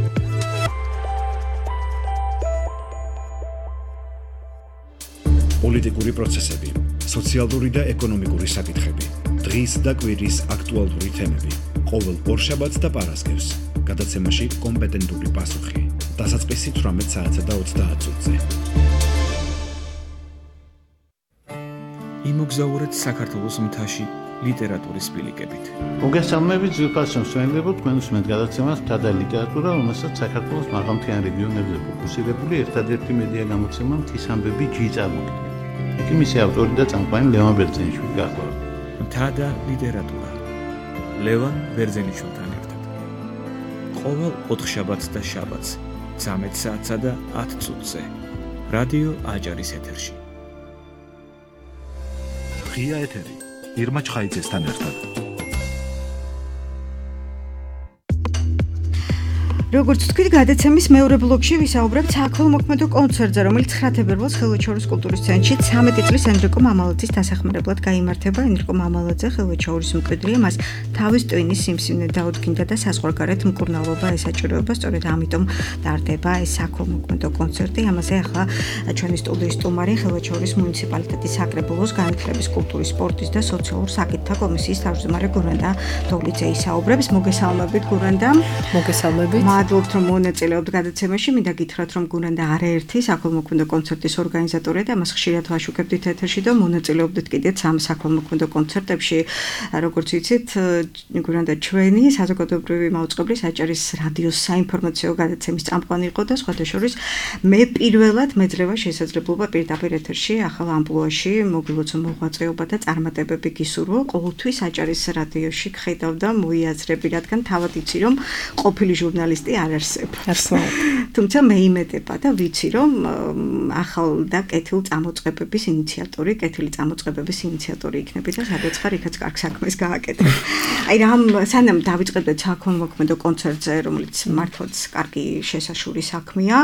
პოლიტიკური პროცესები, სოციალური და ეკონომიკური საკითხები, დღის და კვირის აქტუალური თემები. ყოველ ორშაბათს და პარასკევს გადაცემაში კომპეტენტური პასუხი. დასაწყისი თვრამეტ საათსა და ოცდაათ წუთზე. იმოგზაურეთ საქართველოს მთაში ლიტერატურის ბილიკებით. მოგესალმებით, ძვირფასო მსმენელებო, თქვენ უსმენთ გადაცემას მთა და ლიტერატურა, რომელსაც საქართველოს მაღალმთიან რეგიონებზე ფოკუსირებული ერთადერთი მედია გამოცემა მთის ამბები ჯი წარმოგიდგენთ. იქ მისი ავტორი და წამყვანი ლევან ბერძენიშვილი გახლავთ. მთა და ლიტერატურა. ლევან ბერძენიშვილთან ერთად. ყოველ ოთხშაბათს და შაბათს ცამეტ საათსა და ათ წუთზე. რადიო აჭარის ეთერში. ღია ეთერი. ირმა ჩხაიძესთან ერთად. როგორც თქვით, გადაცემის მეორე ბლოკში ვისაუბრებთ საქველმოქმედო კონცერტზე, რომელიც ცხრა თებერვალს ხელვაჩაურის კულტურის ცენტრში ცამეტი წლის ენრიკო მამალაძის დასახმარებლად გაიმართება. ენრიკო მამალაძე ხელვაჩაურის მკვიდრია, მას თავის ტვინის სიმსივნე დაუდგინდა და საზღვარგარეთ მკურნალობა ესაჭიროება, სწორედ ამიტომ ტარდება ეს საქველმოქმედო კონცერტი. ამაზე ახლა ჩვენი სტუდიის სტუმარი ხელვაჩაურის მუნიციპალიტეტის საკრებულოს განათლების, კულტურის, სპორტის და სოციალურ საკითხთა კომისიის თავმჯდომარე გურანდა დოლიძე ისაუბრებს. მოგესალმებით გურანდა. მოგესალმებით. მადლობთ, რომ მონაწილეობთ გადაცემაში. მინდა გითხრათ, რომ გურანდა არაერთი საქველმოქმედო კონცერტის ორგანიზატორია და მას ხშირად ვაშუქებდით ეთერში და მონაწილეობდით კიდეც ამ საქველმოქმედო კონცერტებში. როგორც ვიცით, გურანდა ჩვენი საზოგადოებრივი მაუწყებლის აჭარის რადიოს საინფორმაციო გადაცემის წამყვანი იყო და სხვათა შორის მე პირველად მეძლევა შესაძლებლობა პირდაპირ ეთერში ახალ ამპლუაში მოგილოცო მოღვაწეობა და წარმატებები გისურვო. ყოველთვის აჭარის რადიოში გხედავ და მოიაზრები, რადგან თავად იცი, რომ ყოფილი ჟურნალისტი არ არსებობს. თუმცა მე იმედება და ვიცი, რომ ახალ და კეთილ წამოწყებების ინიციატორი, კეთილი წამოწყებების ინიციატორი იქნები და სადაც ხარ, იქაც კარგ საქმეს გააკეთებ. აი რამ სანამ დავიწყებდეთ საქველმოქმედო კონცერტზე, რომელიც მართლაც კარგი შესაშური საქმეა,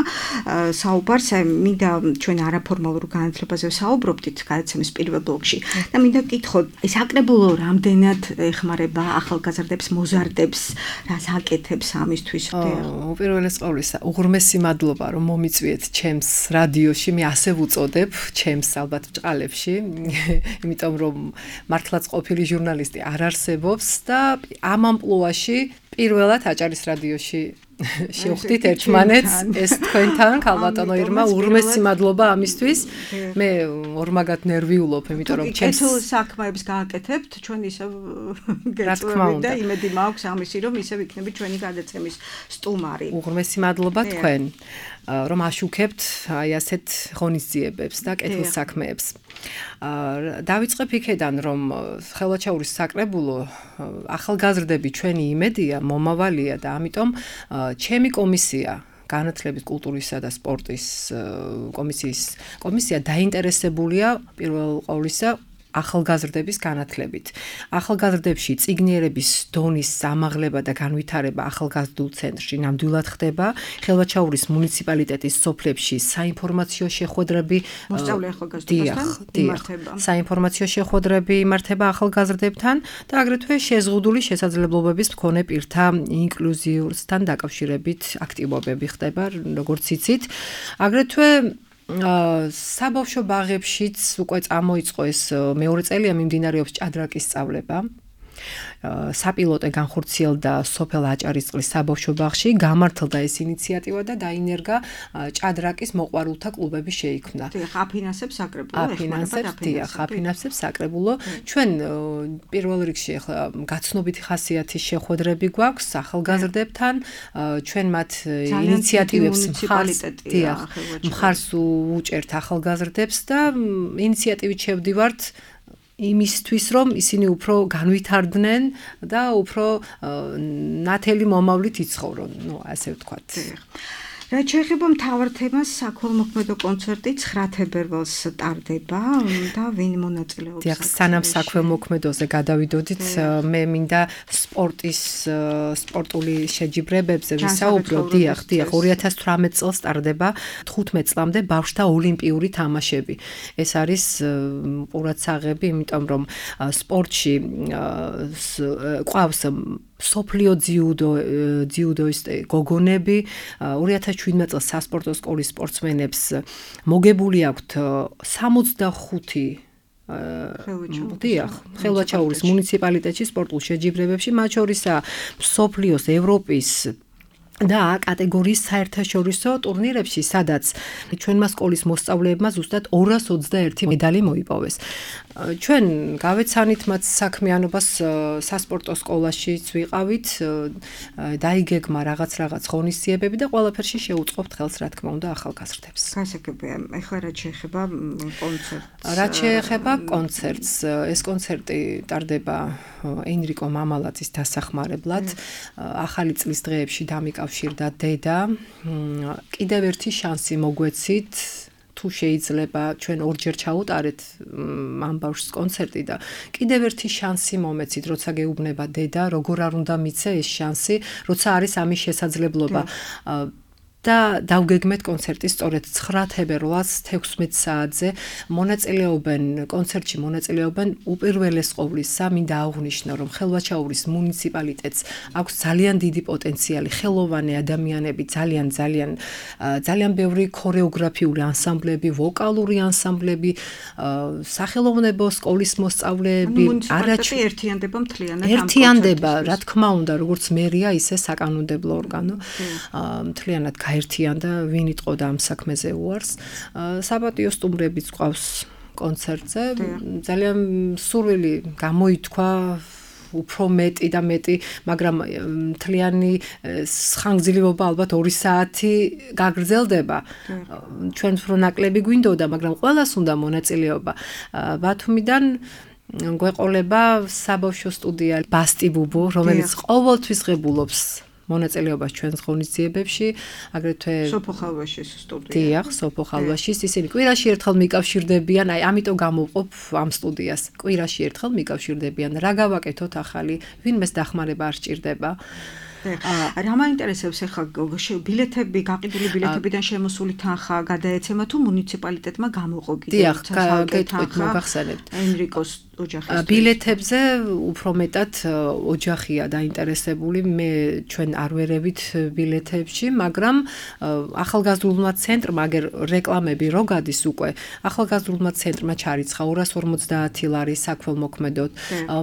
საუბარს მინდა ჩვენ არაფორმალურ განათლებაზე საუბრობდით გადაცემის პირველ ბლოკში და მინდა გითხოთ, ეს საკრებულო რამდენად ეხმარება ახალგაზრდებს, მოზარდებს, რას აკეთებს ამისთვის? უპირველეს ყოვლისა, უღრმესი მადლობა, რომ მომიწვიეთ ჩემს რადიოში, მე ასე ვუწოდებ, ჩემს ალბათ ბჭყალებში, იმიტომ რომ მართლაც ყოფილი ჟურნალისტი არ არსებობს და ამ ამპლუაში პირველად აჭარის რადიოში შევხვდით ერთმანეთს, ეს თქვენთან, ქალბატონო ირმა, უღრმესი მადლობა ამისთვის. მე ორმაგად ნერვიულობ, იმიტომ რომ ჩემს კეთილ საქმეებს გააკეთებთ, ჩვენ ისევ გეწევით და იმედი მაქვს ამისი, რომ ისევ იქნებით ჩვენი გადაცემის სტუმარი. უღრმესი მადლობა თქვენ, რომ აშუქებთ აი ასეთ ღონისძიებებს და კეთილ საქმეებს. დავიწყებ იქედან, რომ ხელვაჩაურის საკრებულო ახალგაზრდები ჩვენი იმედია, მომავალია და ამიტომ ჩემი კომისია განათლების, კულტურისა და სპორტის კომისიის კომისია დაინტერესებულია პირველ ყოვლისა ახალგაზრდების განათლებით. ახალგაზრდებში წიგნიერების დონის ამაღლება და განვითარება ახალგაზრდულ ცენტრში ნამდვილად ხდება. ხელვაჩაურის მუნიციპალიტეტის სოფლებში საინფორმაციო შეხვედრები მოსწავლე ახალგაზრდებთან იმართება. საინფორმაციო შეხვედრები იმართება ახალგაზრდებთან და აგრეთვე შეზღუდული შესაძლებლობების მქონე პირთა ინკლუზიურთან დაკავშირებით აქტივობები ხდება, როგორც იცით. აგრეთვე საბავშვო ბაღებშიც უკვე წამოიწყო ეს მეორე წელია მიმდინარეობს ჭადრაკის სწავლება. საპილოტე განხორციელდა სოფელ აჭარისწყლის საბავშვო ბაღში, გამართლდა ეს ინიციატივა და დაინერგა ჭადრაკის მოყვარულთა კლუბები შეიქმნა. დიახ, აფინანსებს საკრებულო, აფინანსებს, დიახ, აფინანსებს საკრებულო. ჩვენ პირველ რიგში ახლა გაცნობითი ხასიათის შეხვედრები გვაქვს ახალგაზრდებთან, ჩვენ მათ ინიციატივებს მხარს, დიახ, მხარს უჭერთ ახალგაზრდებს და ინიციატივით შევდივართ იმისთვის რომ ისინი უფრო განვითარდნენ და უფრო ნათელი მომავლით იცხოვრონ, ну, ასე ვთქვათ. რაც შეეხება მთავარ თემას, საქველმოქმედო კონცერტი ცხრა თებერვალს ტარდება და ვინ მონაწილეობს? დიახ, სანამ საქველმოქმედოზე გადავიდოდით, მე მინდა სპორტის სპორტული შეჯიბრებებზე ვისაუბრო. დიახ, დიახ, ორი ათას თვრამეტ წელს ტარდება თხუთმეტ წლამდე ბავშვთა ოლიმპიური თამაშები. ეს არის ყურადსაღები, იმიტომ რომ სპორტში ყავს სოფლიო ძიუდო ძიუდოისტი გოგონები ორი ათას შვიდმეტ წელს სასპორტო სკოლის სპორტსმენებს მოგებული აქვთ სამოცდახუთი დიახ, ხელვაჩაურის მუნიციპალიტეტში სპორტულ შეჯიბრებებში, მათ შორისაა მსოფლიოს, ევროპის და კატეგორიის საერთაშორისო ტურნირებში, სადაც ჩვენმა სკოლის მოსწავლეებმა ზუსტად ორას ოცდაერთი მედალი მოიპოვეს. ჩვენ გავეცანით მათ საქმიანობას სასპორტო სკოლაშიც ვიყავით, დაიგეგმა რაღაც რაღაც ღონისძიებები და ყველაფერში შეუწყობთ ხელს, რა თქმა უნდა, ახალგაზრდებს. გასაგებია, ეხლა რაც შეეხება კონცერტს. რაც შეეხება კონცერტს, ეს კონცერტი ტარდება ენრიკო მამალაძის დასახმარებლად. ახალი წლის დღეებში დამიკავშირდა დედა. კიდევ ერთი შანსი მოგვეცით. თუ შეიძლება ჩვენ ორჯერ ჩაუტარეთ ამ ბავშვს კონცერტი და კიდევ ერთი შანსი მომეცით, როცა გეუბნება დედა, როგორ არ უნდა მიცე ეს შანსი, როცა არის ამის შესაძლებლობა. და დავგეგმეთ კონცერტი სწორედ ცხრა თებერვალს თექვსმეტ საათზე მონაწილეობენ კონცერტში მონაწილეობენ უპირველეს ყოვლისა მინდა აღვნიშნო რომ ხელვაჩაურის მუნიციპალიტეტს აქვს ძალიან დიდი პოტენციალი ხელოვანი ადამიანები ძალიან ძალიან ძალიან ბევრი ქორეოგრაფიული ანსამბლები ვოკალური ანსამბლები სახელოვნებო სკოლის მოსწავლეები არაჩი ერთიანდება მთლიანად ერთიანდება რა თქმა უნდა როგორც მერია ისე საკანონმდებლო ორგანო მთლიანად გაერთიანდა ვინ იტყოდა ამ საქმეზე უარს საპატიო სტუმრებიც ყავს კონცერტზე ძალიან სურვილი გამოითქვა უფრო მეტი და მეტი მაგრამ მთლიანი ხანგრძლივობა ალბათ ორი საათი გაგრძელდება ჩვენ უფრო ნაკლები გვინდოდა მაგრამ ყველას უნდა მონაწილეობა ბათუმიდან გვეყოლება საბავშვო სტუდია ბასტი ბუბო რომელიც ყოველთვის ღებულობს მონაწილეობას ჩვენს ღონისძიებებში, აგრეთვე სოფო ხალვაშის სტუდია. დიახ, სოფო ხალვაშის ისინი კვირაში ერთხელ მიკავშირდებიან, აი ამიტომ გამოვყოფ ამ სტუდიას. კვირაში ერთხელ მიკავშირდებიან. რა გავაკეთოთ ახალი, ვინმეს დახმარება არ სჭირდება. რა მაინტერესებს ახლა ბილეთები, გაყიდული ბილეთებიდან შემოსული თანხა გადაეცემა თუ მუნიციპალიტეტმა გამოყო კიდევ დიახ, გეტყვით მოგახსენებთ. ენრიკოს ოჯახის ბილეთებზე უფრო მეტად ოჯახია დაინტერესებული მე ჩვენ არ ვერევით ბილეთებში მაგრამ ახალგაზრდულმა ცენტრმა აგერ რეკლამები რო გადის უკვე ახალგაზრდულმა ცენტრმა ჩარიცხა ორას ორმოცდაათი ლარი საქველმოქმედოდ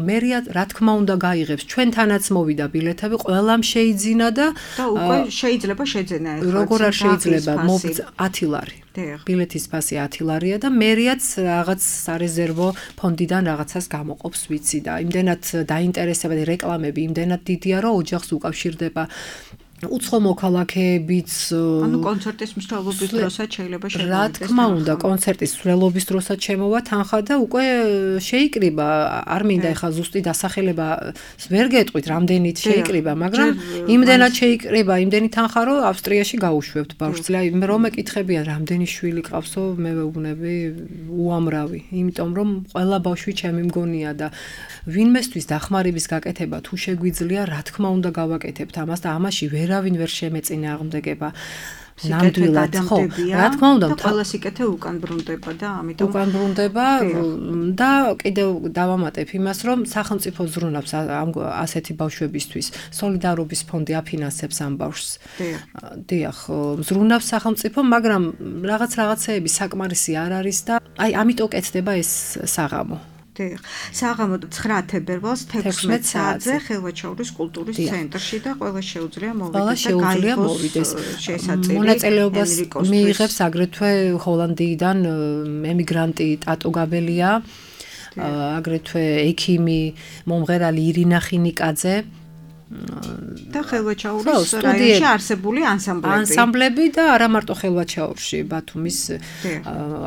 მერია რა თქმა უნდა გაიღებს ჩვენთანაც მოვიდა ბილეთები ყველამ შეიძინა და და უკვე შეიძლება შეძენა ახლა როგორ არ შეიძლება ათი ლარი ბილეთის ფასი ათი ლარია და მერიაც რაღაც სარეზერვო ფონდიდან რაღაცას გამოყოფს ვიცი და იმდენად დაინტერესება და რეკლამები იმდენად დიდია რომ ოჯახს უკავშირდება უცხო მოქალაქეებიც ანუ კონცერტის მსვლელობის დროსაც შეიძლება შემოვიდეს რა თქმა უნდა კონცერტის მსვლელობის დროსაც შემოვა თანხა და უკვე შეიკრიბა არ მინდა ეხლა ზუსტი დასახელება ვერ გეტყვით რამდენით შეიკრიბა მაგრამ იმდენად შეიკრიბა იმდენი თანხა რომ ავსტრიაში გაუშვებთ ბავშვს მე რომ ეკითხებიან რამდენი შვილი ყავსო მე ვეუბნები უამრავი იმიტომ რომ ყველა ბავშვი ჩემი მგონია და ვინმესთვის დახმარების გაკეთება თუ შეგვიძლია რა თქმა უნდა გავაკეთებთ ამას და ამაში ვერავინ ვერ შემეწინააღმდეგება ნამდვილად ხო რა თქმა უნდა ყველა სიკეთე უკან ბრუნდება და ამიტომ უკან ბრუნდება და კიდევ დავამატებ იმას რომ სახელმწიფო ზრუნავს ამ ასეთი ბავშვებისთვის სოლიდარობის ფონდი აფინანსებს ამ ბავშვს დიახ ზრუნავს სახელმწიფო მაგრამ რაღაც რაღაცეები საკმარისი არ არის და აი ამიტომ კეთდება ეს საღამო დიახ საღამო ცხრა თებერვალს თექვსმეტ საათზე ხელვაჩაურის კულტურის ცენტრში და ყველა შეუძლია მოვიდეს და გაიღოს შესაწირი მონაწილეობას მიიღებს აგრეთვე ჰოლანდიიდან ემიგრანტი ტატო გაბელია აგრეთვე ექიმი მომღერალი ირინა ხინიკაძე და ხელვაჩაურის რაიონში არსებული ანსამბლები ანსამბლები და არა მარტო ხელვაჩაურში ბათუმის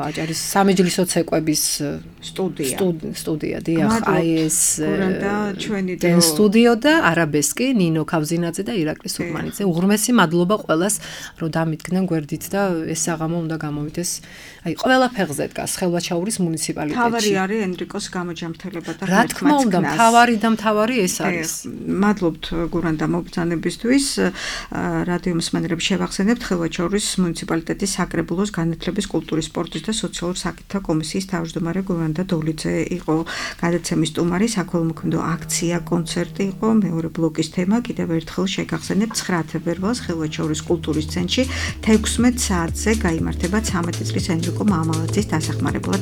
აჭარის სამეჯლისო ცეკვების სტუდია სტუდია დიახ აი ეს გურანდა ჩვენი დენ სტუდიო და არაბესკი ნინო ქავზინაძე და ირაკლი სურმანიძე უღრმესი მადლობა ყველას რომ დამიდგნენ გვერდით და ეს საღამო უნდა გამოვიდეს აი ყველა ფეხზე დგას ხელვაჩაურის მუნიციპალიტეტში თავარი არის ენრიკოს გამოჯამრთელება და რა თქმა უნდა თავარი და თავარი ეს არის მადლობთ გურანდა მობრძანებისთვის რადიო მსმენელებს შევახსენებთ ხელვაჩაურის მუნიციპალიტეტის საკრებულოს განათლების კულტურის სპორტის და სოციალურ საკითხთა კომისიის თავმჯდომარე გურანდა დოლიძე იყო გადაცემის სტუმარი საქველმოქმედო აქცია კონცერტი იყო მეორე ბლოკის თემა კიდევ ერთხელ შეგახსენებთ ცხრა თებერვალს ხელვაჩაურის კულტურის ცენტრში თექვსმეტ საათზე გაიმართება ცამეტი წლის ენრიკო მამალაძის დასახმარებლად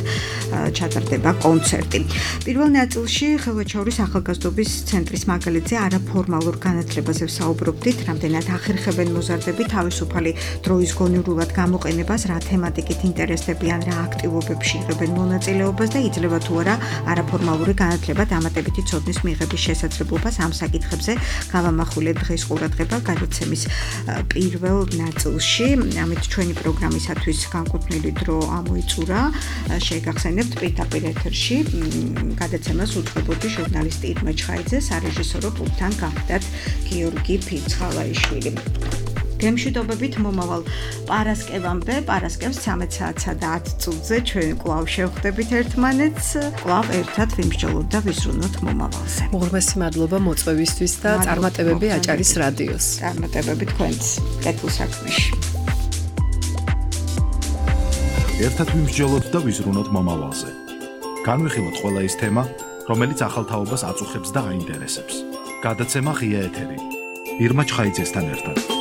ჩატარდება კონცერტი პირველ ნაწილში ხელვაჩაურის ახალგაზრდობის ცენტრის მაგალითზე არაფორმალურ განათლებაზე ვსაუბრობდით, რამდენად ახერხებენ მოზარდები თავისუფალი დროის გონივრულად გამოყენებას, რა თემატიკით ინტერესდებიან, რა აქტივობებში იღებენ მონაწილეობას და იძლევა თუ არა არაფორმალური განათლება დამატებითი ცოდნის მიღების შესაძლებლობას ამ საკითხებზე გავამახვილეთ დღეს ყურადღება გადაცემის პირველ ნაწილში. ამით ჩვენი პროგრამისათვის განკუთვნილი დრო ამოიწურა. შეგახსენებთ პირდაპირ ეთერში გადაცემას უწყებოდი ჟურნალისტი ირმა ჩხაიძე, სარეჟისორო პულტთან გახდათ გიორგი ფიცხალაიშვილი. გემშვიდობებით მომავალ პარასკევამდე, პარასკევს ცამეტ საათსა და ათ წუთზე ჩვენ კვლავ შევხვდებით ერთმანეთს, კვლავ ერთად ვიმსჯელოთ და ვიზრუნოთ მომავალზე. უღრმესი მადლობა მოწვევისთვის და წარმატებები აჭარის რადიოს. წარმატებები თქვენს კეთილ საქმეში. ერთად ვიმსჯელოთ და ვიზრუნოთ მომავალზე. განვიხილოთ ყველა ის თემა, რომელიც ახალ თაობას აწუხებს და აინტერესებს. გადაცემა ღია ეთერი. ირმა ჩხაიძესთან ერთად.